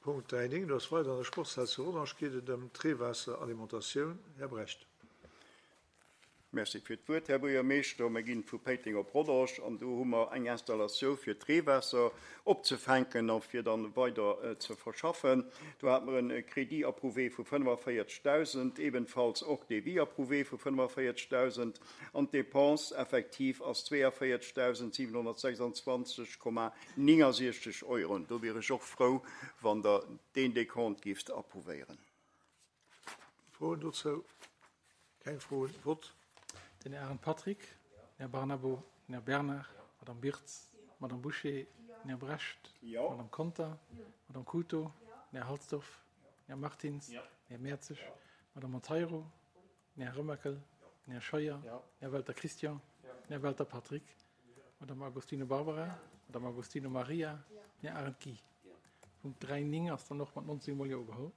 Punkt 3,9, do ass weider an der Sportshal zu Rodange, geet et ëm d'Reewaasseralimentatioun. Här Brecht. Merci fir d'Wuert, Här Buergermeeschter. Mir ginn vu Péiteng op Rodange an do hu mer eng Installatioun fir d'Reewaasser opzefänken a fir dann weider ze verschaffen. Do hate mer e Crédit approuvé vu 45.000, ebenfalls och Devis approuvé vu 45.000 an d'Dépense effektiv ass 42.726,69 Euro. Do wier ech och frou, wann Der deen Décompte gifft approuvéieren. Froen dozou? Keng Froen. Vott. Den Här Arendt Patrick, den Här Barnabo, den Här Bernard, d'Madame Birtz, d'Madame Bouché, den Här Brecht, d'Madame Conter, d'Madame Couto, den Här Halsdorf, den Här Martins, den Här Mertzig, d'Madame Monteiro, den Här Remakel, den Här Scheuer, den Här Welter Christian, den Här Welter Patrick, d'Madame Agostino Barbara, d'Madame Agostino Maria, den Här Arendt Guy. Punkt 3, 9 ass dann och mat 19 mol Jo ugeholl.